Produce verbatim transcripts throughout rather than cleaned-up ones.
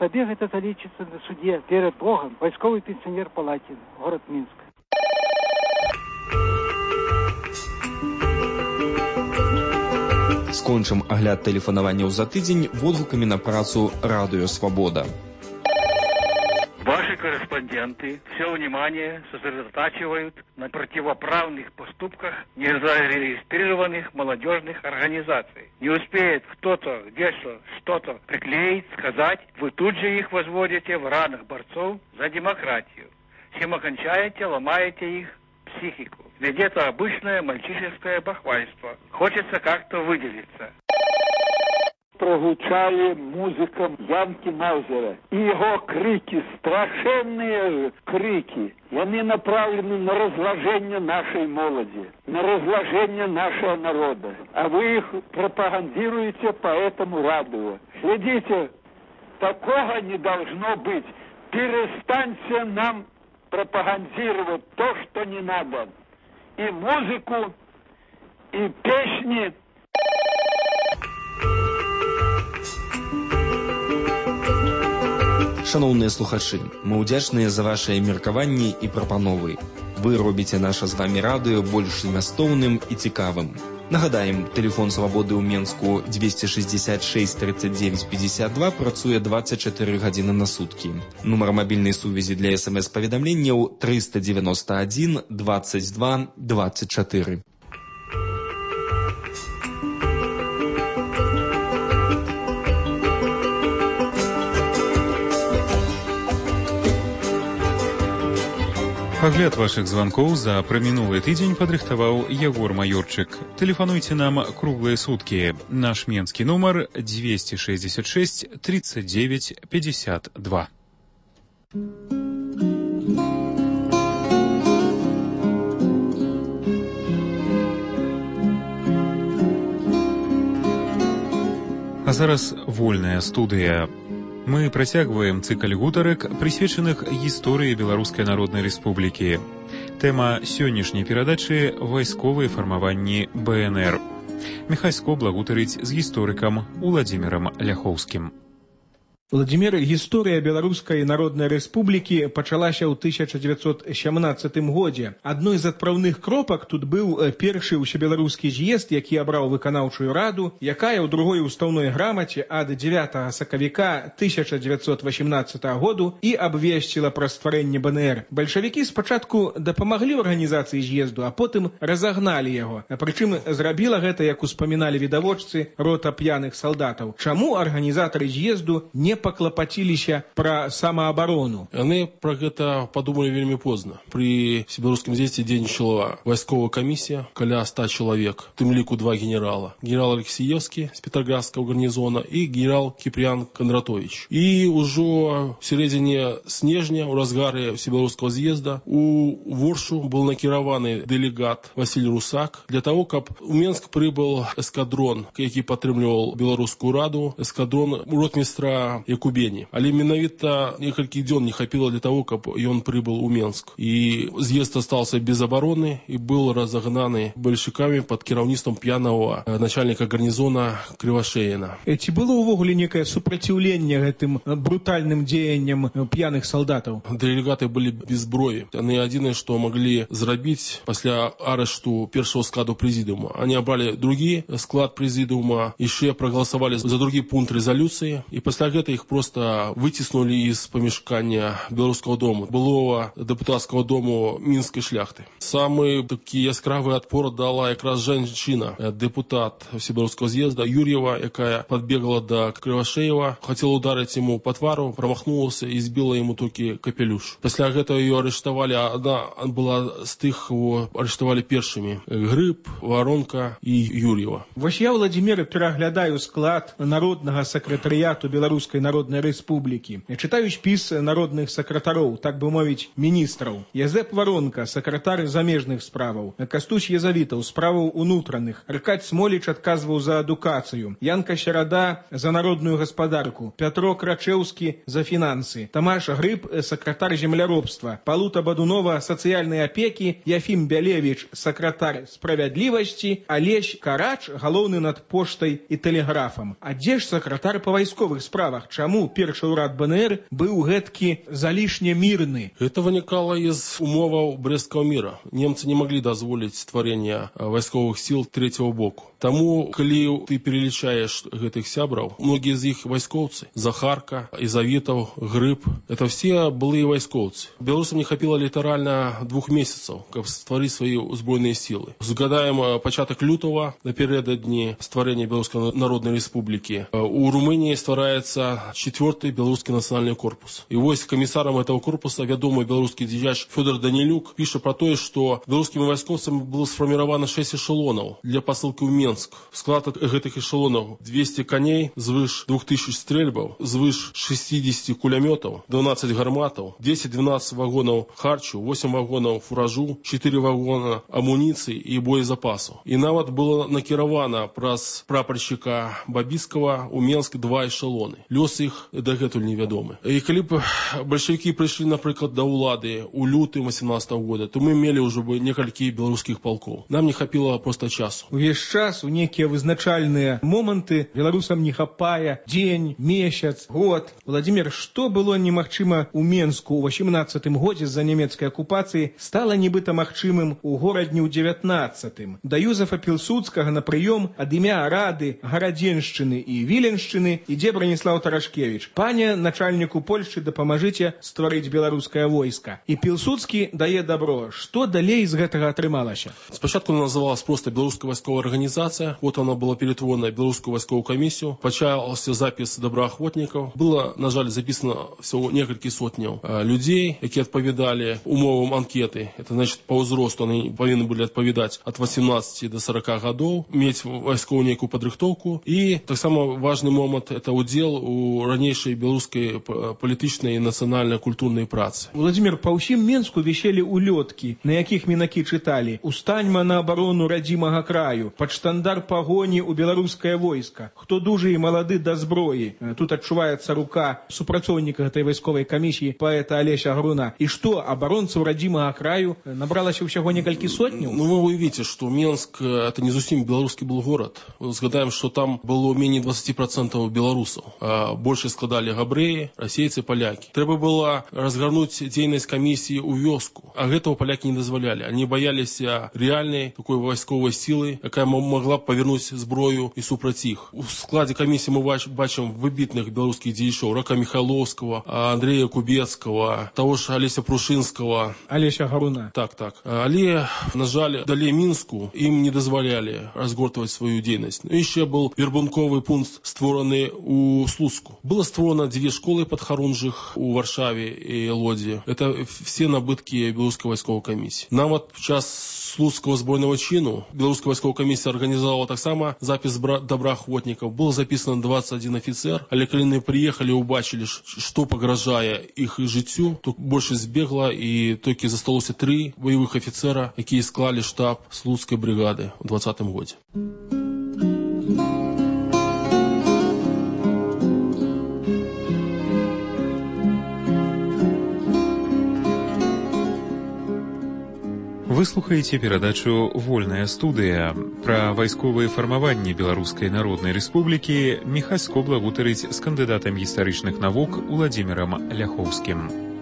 Табе гэта залічыцца на суде перад Богом. Вайсковы пенсіонер Палатин, город Минск. Скончым агляд тэлефанаванняў за тыдзень водгукамі на працу «Радио Свобода». Ваши корреспонденты все внимание сосредотачивают на противоправных поступках незарегистрированных молодежных организаций. Не успеет кто-то где-то что-то приклеить, сказать, вы тут же их возводите в ранах борцов за демократию. Чем окончаете, ломаете их психику. Ведь это обычное мальчишеское бахвальство. Хочется как-то выделиться. Прогучали музыкам Янки Маузера. И его крики, страшенные крики, они направлены на разложение нашей молоди, на разложение нашего народа. А вы их пропагандируете по этому радио. Следите, такого не должно быть. Перестаньте нам пропагандировать то, что не надо. И музыку, и песни. Шановныя слухачы, мы ўдзячныя за вашыя меркаванні і прапановы. Вы робіце наша з вамі радыё больш змястоўным і цікавым. Нагадаем, тэлефон Свабоды ў Менску двести шестьдесят шесть тридцать девять пятьдесят два працуе двадцать четыре гадзіны на суткі. Нумар мабільнай сувязі для смс-паведамленняў триста девяносто один двадцать два двадцать четыре. Агляд вашых званкоў за прамінулы тыдзень падрыхтаваў Ягор Маёрчык. Тэлефануйце нам круглыя суткі. Наш менскі нумар двести шестьдесят шесть тридцать девять пятьдесят два. А зараз вольная студыя. Мы працягваем цыкл гутарак, прысвечаных гісторыі Беларускай Народнай Рэспублікі. Тэма сённяшняй перадачы – вайсковыя фармаванні бэ эн эр. Міхай Скобла гутарыць з гісторыкам Уладзімірам Ляхоўскім. Владимир, гісторыя Беларускай Народнай Рэспублікі пачалася ў тысяча девятьсот семнадцатым годзе. Адной з адпраўных кропак тут быў першы ўсебеларускі з'езд, які абраў выканаўчую раду, якая ў другой устаўной грамаце ад дзевятага сакавіка тысяча девятьсот восемнадцатага году і абвесціла пра стварэнне бэ эн эр. Бальшавікі спачатку дапамаглі ў арганізацыі з'езду, а потым разагналі яго. Прычым зрабіла гэта, як успаміналі відавочцы, рота п'яных салдатаў. Чаму арганізатары з'езду не паклапаціліся пра самаабарону? Яны пра гэта падумалі вельмі позна. Пры всебеларускім з'ездзе дзейнічала вайсковая камісія, каля ста чалавек, у тым ліку два генерала. Генерал Алексеевскі з Петроградскага гарнізона і генерал Кіпріян Кондратович. І ўжо в сярэдзіне снежня, у разгары всебеларускага з'езда, у Воршу был накіраваны дэлегат Васіль Русак для того, каб у Менск прыбыл эскадрон, які падтрымліваў Беларускую раду, эскадрон ротмістра Якубені. Але менавіта некалькі дзён не хапіла для того, каб ён прыбыл у Менск. І з'езд астаўся без абароны і быў разагнаны бальшавікамі пад кіраўніцтвам п'янага начальніка гарнізона Крывашеіна. Ці было ўвогуле некае супраціўленне гэтым брутальным дзеянням п'яных салдатаў? Дэлегаты былі без зброі. Яны адзінае, што маглі зрабіць пасля арышту першага складу прэзідыума. Они абралі другі склад прэзідыума, яшчэ прагаласавалі за другі пункт рэзалюцыі, і пасля гэта их просто вытеснули из помешкания Белорусского дома, былого депутатского дому Минской шляхты. Самый такий яскравый отпор дала якраз женщина, депутат Всебелорусского з'езда Юрьева, якая подбегла до Кривошеева, хотела ударить ему по твару, промахнулась и сбила ему только капелюш. После этого ее арестовали, а она была с тых, кого арестовали першими. Гриб, Воронка и Юрьева. Вось я, Владимир, пераглядаю склад народного секретариату Белорусской Народной Республики. Читаю спіс народных сакратароў, так бы мовіць, міністраў. Язэп Воронка, сакратар замежных справаў. Кастусь Язавітаў, справаў унутраных. Аркадь Смоліч адказваў за адукацыю. Янка Серада за народную гаспадарку. Пятро Крачэўскі за фінансы. Тамаш Грыб, сакратар земляробства. Палута Бадунова, сацыяльнай апекі. Яфім Бялевіч, сакратар справядлівасці. Алесь Карач, галоўны над поштай і тэлеграфам. А дзе ж сакратар па вайсковых справах? чаму першы ўрад БНР быў гэткі залішне мірны? Это вынікала из умоваў Брестского мира. Немцы не могли дазволіць стварэння вайсковых сил третьего боку. Таму, калі ты перелічаеш гэтых сябраў, многія з іх вайскоўцы. Захарка, Изавитов, Грыб. Это все былыя вайскоўцы. Беларусам не хапіла літаральна двух месяцаў, каб стварыць свае узброеныя сілы. Згадаем пачатак лютого, напярэдадні стварэння Беларускай Народнай Рэспублікі. У Румынии ствараецца четвёрты беларускі нацыянальны корпус. І вось камісарам этого корпуса вядомы беларускі дзеяч Фёдор Данилюк піша про тое, што беларускімі вайскоўцамі было сфарміравана шэсць эшелонаў для пасылкі ў Менск. Склад гэтых эшелонаў двести коней, звыш двух тысяч стрельбаў, звыш шестьдесят кулямётаў, двенадцать гарматаў, десять-двенадцать вагонаў харчу, восемь вагонаў фуражу, четыре вагона амуніцыі і боезапасу. І нават было накіравана праз прапаршчыка Бабіцкага у Менск два эшелоны. Лёс іх дагэтуль невядомы. І калі б бальшавікі прыйшлі, напрыклад, да ўлады ў лютым восемнадцатого года, то мы мелі ўжо бы некалькі беларускіх палкоў. Нам не хапіла проста часу. Увесь час у некія вызначальныя моманты беларусам не хапае дзень, месяц, год. Владимир, што было немагчыма ў Менску ў восемнадцатым годзе з-за нямецкай акупацыі, стала нібыта магчымым у горадні ў дзевятнаццатым. Да Юзефа Пілсудскага на прыём ад імя Рады Гарадзеншчыны і Віленшчыны ідзе Браніслаў Тарашкевіч. Пане начальніку Польшчы, дапамажыце стварыць беларускае войска. І Пілсудскі дае добро. Што далей з гэтага атрымалася? Спачатку она называлась просто Белорусская войсковая организация. Вот она была перетворена в Белорусскую войсковую комиссию. Почался запись доброохотников. Было, на жаль, записано всего несколько сотняў людей, які адпавядалі умовам анкеты. Это значит, по ўзросту они повинны были адпавядаць от восемнадцати до сорока годов, мець вайсковую некую падрыхтоўку. И так само важный момент — это удел у ранейшай белорусской політычнай і нацыянальна-культурнай працы. Владимир, па ўсім Менску віселі улёткі, на якіх мінакі чыталі: «Устаньма на абарону радзімага краю», «Пад штандар пагоні ў беларускае войска», «Хто дужы і малады да зброі». Тут адчуваецца рука супрацоўніка гэтай вайсковай камісіі паэта Алеся Груна. І што, абаронцаў радзімага краю набралася ўсяго некалькі сотняў? Ну, вы уявіце, што Менск — это не зусім беларускі был город. Згадаем, што там было менее двадцати процентов беларусаў. А больше складалі габрэі, расейцы, палякі. Трэба было разгарнуць дзейнасць камісіі ў вёску. А гэтага палякі не дазвалялі. Они баяліся рэальнай такой вайсковай сілы, якая могла б павернуць зброю і супраць іх. У складзе камісіі мы бачым выбітных беларускіх дзеячоў: Рака Михайловского, Андрея Кубецкого, того ж Олеся Прушинского. Олеся Гаруна. Так, так. Але, на жаль, далей Мінску ім не дазвалялі разгортваць сваю дзейнасць. Ну, яшчэ был вербунковы пункт, створаны у Слуцку. Было створено две школы падхарунжых у Варшаве и Лодзе. Это все набытки белорусской войсковой комиссии. Нават в час Слуцкого збройного чину белорусская войсковая комиссия организовала так само запись доброохотников. Было записано двадцать один офицер, але калі они приехали, убачили, что погрожае их жыццю, то больше збегла, и толькі засталося три боевых офицера, якія склали штаб Слуцкой бригады в двадцатым году. Вы слухаеце перадачу «Вольная студыя». Пра вайсковыя фармаванні Беларускай Народнай Рэспублікі Міхась Скобла гутарыць з кандыдатам гістарычных навук Уладзімірам Ляхоўскім.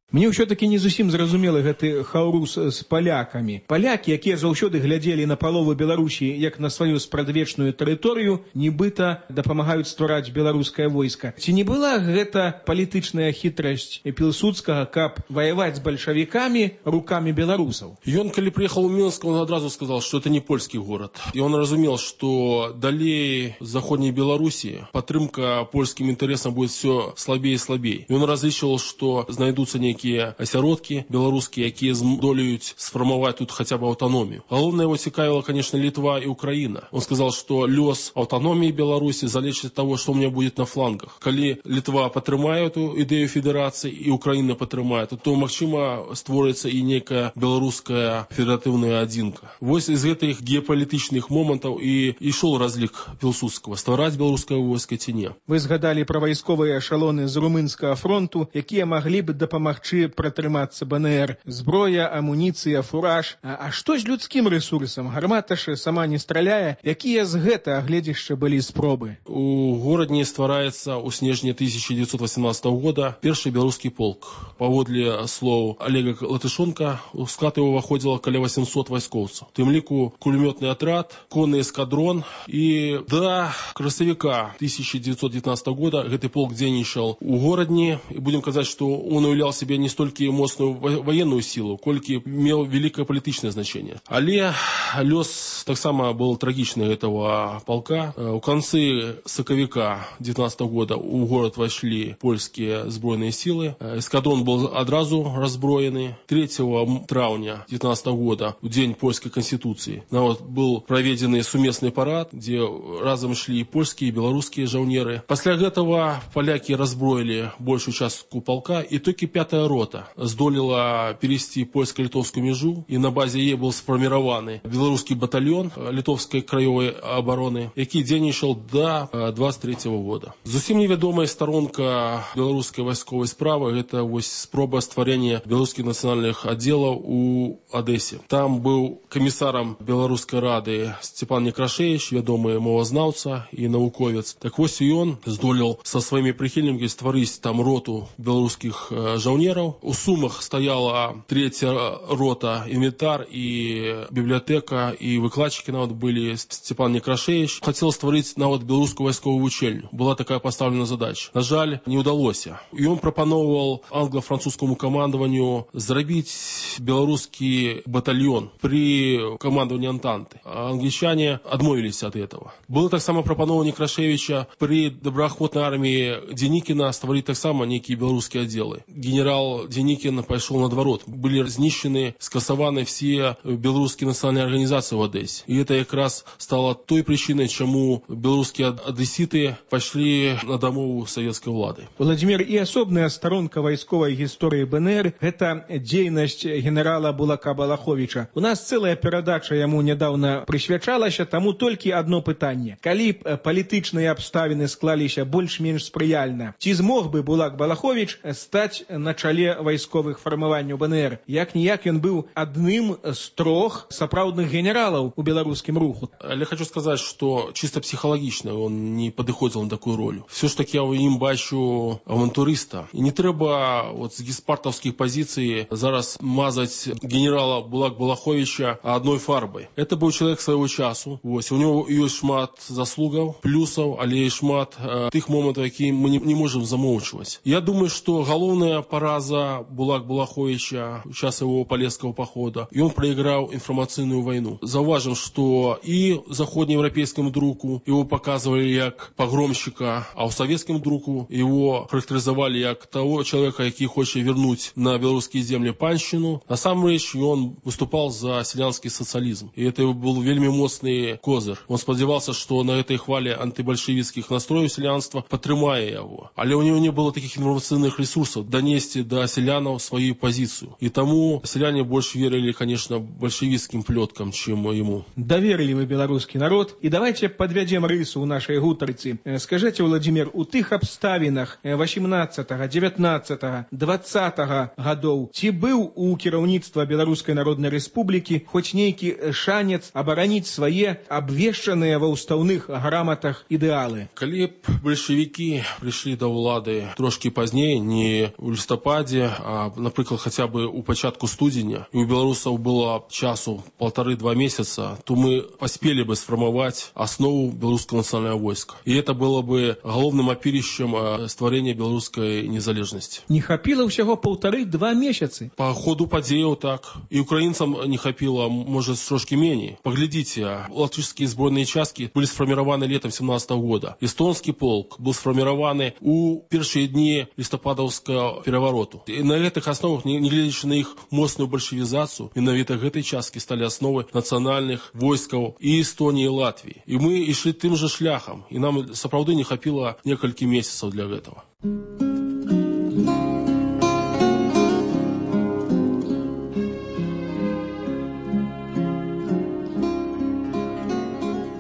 Мне ўсё-таки не зусім зразумелы гэты хаўрус з палякамі. Палякі, якія заўсёды глядзелі на палову Беларусі як на сваю спрадвечную тэрыторыю, нібыта дапамагаюць ствараць беларускае войска. Ці не была гэта палітычная хітрасць Пілсудскага, каб ваяваць з бальшавікамі рукамі беларусаў? Ён, калі приехал в Минск, он одразу сказал, что это не польский город. И он разумел, что далее Заходней Беларуси падтрымка польским интересам будет все слабее и слабее. И он различил, что знайдутся некие асяродкі беларускія, якія здолеюць сфармаваць тут хотя бы аўтаномію. Галоўнае его цікавіла, конечно, Литва и Украина. Он сказал, что лёс аўтаномии Беларуси залежит от того, что у меня будет на флангах. Калі Литва падтрымае эту ідэю федерации и Украина падтрымае, то, магчыма, створыцца и некая беларуская федератыўная адзінка. Вось из гэтых геапалітычных момантаў и ішоў разлік Пілсудскага: ствараць беларускае войска ці не. Вы згадалі пра вайсковыя эшалоны з румынскага фронту, якія маглі б дапамагчы дапамагчы пратрымацца БНР? Зброя, амуніцыя, фураж. А, а што з людскім рэсурсам? Гармата ж сама не страляе. Якія з гэта гледзішча былі спробы? У горадні ствараецца ў снежні тысяча девятьсот восемнадцатого года першы беларускі полк. Паводле слоў Олега Латышонка, у склад его выходзіла каля восемьсот вайскоўцаў. У тым ліку кулемётны атрад, конны эскадрон, і да красавіка тысяча девятьсот девятнадцатого года гэты полк дзейнічаў у горадні. І будем казаць, што он уяўляў себе не столькі моцную военную силу, колькі меў великое палітычнае значение. Але лёс таксама был трагічны этого полка. У концы сакавіка девятнадцатого года у город вошли польские збройные силы. Эскадрон был одразу разброены. третьего траўня девятнадцатого года, в день польской конституции, вот, был проведен сумесный парад, где разом шли и польские, и белорусские жаўнеры. После этого поляки разброили большую частку полка, и только пятая рота здолела перевести польско-литовскую межу, и на базе ей был сформирован белорусский батальон литовской краевой обороны, який дзейнічаў до двадцать третьего года. Зусім невядомая сторонка белорусской войсковой справы — это вот спроба стварения белорусских национальных отделов у Одессе. Там был комиссаром Белорусской рады Степан Некрашевич, вядомый мовазнаўца и науковец. Так вот и он здолел со своими прихильниками стварыць там роту белорусских жаўнераў. У Сумах стояла третья рота, инвентарь и библиотека, и выкладчики нават были. Степан Некрашевич хотел стварыць нават белорусскую войсковую учельню. Была такая поставлена задача. На жаль, не удалось. И он пропановывал англо-французскому командованию зрабіць белорусский батальон при командовании Антанты. А англичане отмовились от этого. Было так само пропановано Некрашевича при добраахвотной армии Деникина стварыць так само некие белорусские отделы. Генерал Деникин пошел наоборот. Были знищены, скасованы все белорусские национальные организации в Одессе. И это как раз стало той причиной, чему белорусские одесситы пошли на домову советской влады. Владимир, и особная сторонка войсковой истории БНР – это дзейнасць генерала Булака Балаховича. У нас целая перадача ему недавно присвячалася, тому толькі одно пытанне. Калі б палітычныя абставіны склаліся больш-менш спрыяльна, ці змог бы Булак Балахович стаць на чале вайсковых фармаванняў БНР? Як-ніяк ён быў адным з трох сапраўдных генералаў у беларускім руху. Я хочу сказать, что чисто психологично он не подыходил на такую роль. Все ж таки я в ним бачу авантуриста. И не треба вот с геспартовских позиций зараз мазать генерала Булак Балаховича одной фарбой. Это был человек своего часу. Вот. У него есть шмат заслугов, плюсов, але и шмат э, тых моментов, які мы не, не можем замолчивать. Я думаю, что головная пораза Булак Балаховича в час его Полесского похода, и он проиграл информационную войну. Зауважим, что и заходнеевропейскому другу его показывали как погромщика, а у советскому другу его характеризовали как того человека, який хочет вернуть на белорусские земли панщину. На самом деле он выступал за селянский социализм. И это был вельми моцный козыр. Он сподевался, что на этой хвале антибольшевистских настроев селянства потрымае его. Але у него не было таких информационных ресурсов донести до селянов свою позицию. И тому селяне больше верили, конечно, большевистским плеткам, чем ему. Доверили вы белорусский народ. И давайте подведем рысу у нашей гутарцы. Скажите, Владимир, у тых обставинах восемнадцатого, девятнадцатого, двадцатого годов ці быў у кіраўніцтва Беларускай Народнай Рэспублікі хоць нейкі шанец абараніць свае абвешчаныя ва ўстаўных граматах ідэалы? Калі б большевики пришли до улады трошки пазней, не у лістападзе, а, напрыклад, хотя бы у пачатку студзеня, и у белорусов было часу полторы-два месяца, то мы поспели бы сформовать основу белорусского национального войска. И это было бы головным опирищем стварения белорусской незалежности. Не хапіла ўсяго полторы-два месяцы? По ходу падзеяў так. И украинцам не хапіла, может, трошки менее. Поглядите, латышские сборные части были сформированы летом семнадцатого года. Эстонский полк был сформирован у первые дни листопадовского перевороту. И на этих основах, не глядячи на их мощную большевизацию, менавіта гэтай частки стали основой национальных войсков и Эстонии, и Латвии. И мы и шли тем же шляхом. И нам, сапраўды, не хапіла несколько месяцев для этого.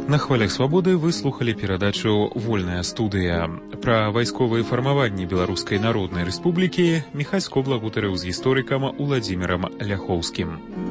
На хвалях свабоды вы слухали перадачу «Вольная студыя». Пра вайсковыя фармаванні Беларускай Народнай Рэспублікі Міхась Кобла гутарыў з гісторыкам Уладзімірам Ляхоўскім.